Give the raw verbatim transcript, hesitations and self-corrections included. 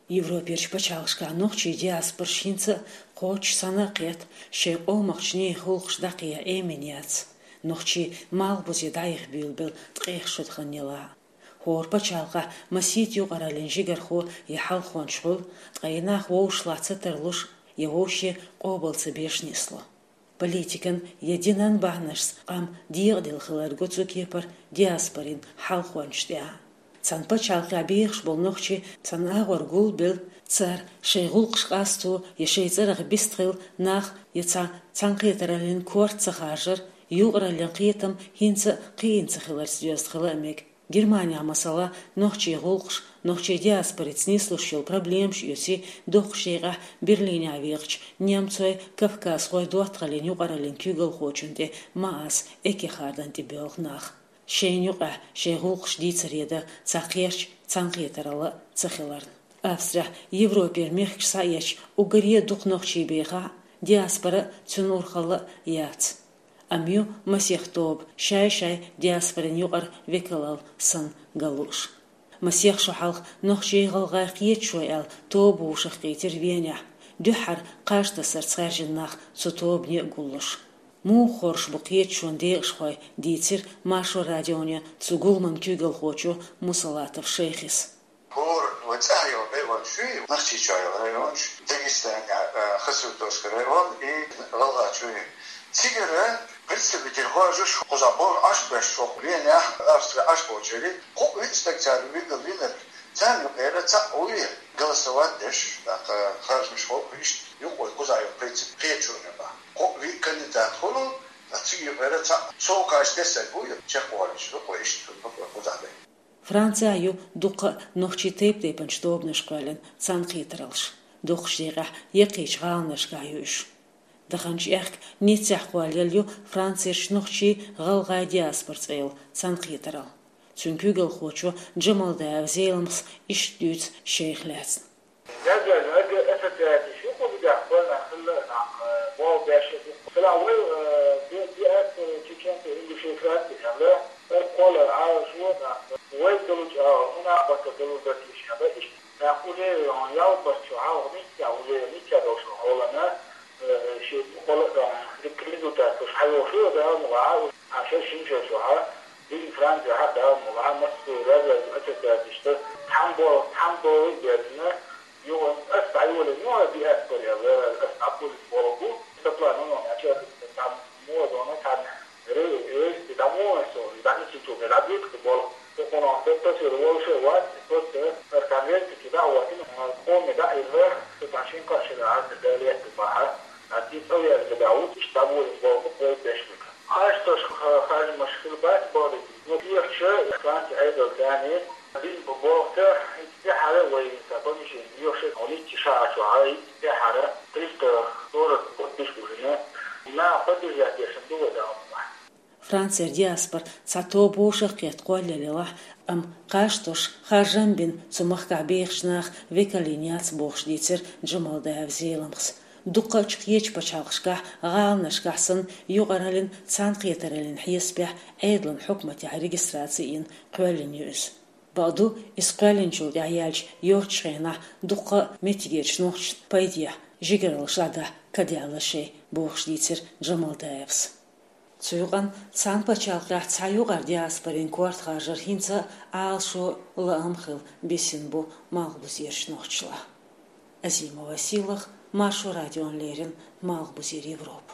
Европерчу пачхьалкхашкахь нохчийн диаспораш хӀинца а кхоччуш санна а кхетта, шайн къомах чу нехан гӀуллакхаш дӀакхехьа Ӏемина яц. Нохчий малхбузе дӀаяха буьйлабелла ткъех шо дан хан елахь а. ХӀора пачхьалкхехь масийтта юкъараллин жигархо я хьалхончаш хуьлу, ткъа и нах вовшашлахь ца тарлуш, я вовшашна къобал ца беш нисло. Политикан я динан бахьанашца къам декъаделла хилар го цу кепара диаспорин хьалхончашна тӀехь. Цхьана пачхьалкхехь бехаш болу нохчий цхьана агӀор гулбелла, цара шайн гӀуллакхаш къасто я шайн цӀарах вистхилла нах я цхьа цхьаьнакхетараллин корта ца харжар, юкъараллин кхетам хӀинца а кхиийна ца хиларца доьзна хила а мега. Германехь, масала, нохчийн гӀуллакхаш, нохчийн диаспорица нислуш йолу проблемаш оьций дукхачу декъехь Берлинехь вехачу немцойн, кавказхойн доттагӀаллин юкъараллин куьйгалхочунна тӀе Маас Эккехардан тӀе боьлху нах. Шайна юкъахь шайн гӀуллакхаш дийцаре дан цхьа кхерч цхьаьнакхетаралла а ца хиларна. Австрехь Европера мехкаш схьаэцча уггаре а дукха нохчий бехахь а, диаспора а цуьнан урхалла а яц. Амма ю масех тоба шай-шайн диаспорин юкъара векалалла санна ган лууш. Масех шо хьалха нохчий-гӀалгӀай кхеташо аьлла тоба вовшахкхийтира Венехь, дуьххьара кхаж тасарца хаьржина нах цу тобане а гуллуш. Муха хоржуш бу кхеташонан декъашхой, дийцира Маршо радионе цу гуламан куьйгалхочо Мусалатов Шайхис. ХӀора вай цӀахь йолу районаш ю, Нохчийчоь йолу районаш, Дагестанехь, а, Хасавюртовский район и ГӀалгӀайчоь ю. Цигара представитель хьожуш, кхузахь болу Ӏаш беш, хӀокху Венехь, Австрехь Ӏаш болчеран, кхо-виъ стаг цара вигал винарг, царна юкъара цхьаъ вуй голосовать деш, тӀаккха харжамаш хӀокху иштта юкъа вай кхузахь йолу принцип кхеташо набахь. Кхо-виъ кандидат хуьлу, ткъа цига юкъара цхьаъ сов кхача дерг вуй, чекхволуш, юкъа вай иштта хӀокху кхузахь дай. Францехь ю дуккха а нохчийн тайп-тайпанчу тобанаш кхоьллина цхьаьнакхетараллаш. Дукхачу декъехь яккхийчу гӀаланашкахь ю уьш. Даханчу аьхка Ниццехь кхоллаелла ю Францерчу нохчийн-гӀалгӀайн диаспора цӀе йолу цхьаьнакхетаралла. Цуьнан куьйгалхочо Джамалдаев Зеламхас иштта дуьйцу шайх лаьцна. Язъяьлла ассоциацеш ю кхузахь, кхоьллина хилла нах, болх беш а ду. Цигахь вай, э, ди-, диаспора чеченцев, ингушей, французов аьлла, кхоллар Ӏалашо нах, вай долчу агӀор мунакъбатар далур дара теша аьлла, иштта нах уже ялбарчу хьалха Ниццехь уже, Ниццехь долчу хьолана, э, шен кхолла а дан, дика результат луш хьайогӀуш ю, Дала мукъалахь, уьш шайн шина шо чохь, дика Францехь а, Дала мукъалахь, массо а язъяьлла ассоциацешца цхьаьна болх, цхьаьна болх а баьлла, юха ас дӀайолийна ю хӀара диаспора аьлла, ас дӀакхоьллина болх бу. Сан план ма ю, ача цхьа муха дона цхьаьна ре-, рейс дӀа ма ван со, дӀа ницкъ чу, дӀабуьйцу болх. Со кхунах тасвир волуш а вац, просто ар конвертики дӀа а ватина, ар коми дӀа а йилла, со цхьа шин кхашира Ӏазда далетта бахьа, а ти цӀа веза дӀа ву, иштта дӀабуьйцу болх бу, кхой беш бу. Хьашташ ха-, харжамаш хила бац бохург. Ну, кехаташ, Франци Ӏедал царна дина бу бохург, хӀинца тӀаьхьара вай сан помещение йоьшуш, хьо Ницце ша а чохь, хӀинца тӀаьхьара триста сорок подписчик уже, нах поддержать деш ду вай Дала мукъалахь. Францера диаспора цхьа тоба вовшахкхетта кхоллаелла елахь а, амма кхаж тосуш, харжам бина цу махкахь бехачу наха векал йина яц бохуш дийцира Джамалдаев Зеламхас. Дуккхачу кхечу пачхьалкхашкахь, гӀаланашкахь санна, юкъараллин, цхьаьнакхетараллин хьесапехь Ӏедалан хьукматехь регистраци йина кхоьллина ю иза. Бакъду, иза кхоьллинчул тӀаьхьа яьлча йоцчу хенахь дуккха а меттигерчу нохчашна пайдехь, жигаралла шадахь кадаьлла шайн, бохуш дийцира Джамалдаевс. Цу юкъанна цхьана пачхьалкхехь цхьа юкъара диаспорин корта харжар хӀинца а Ӏалашо, лаам хилла бисина бу малхбузерчу нохчашлахь. Азимова Сийлаха, Маршо радиона леррина, Малхбузера Европа.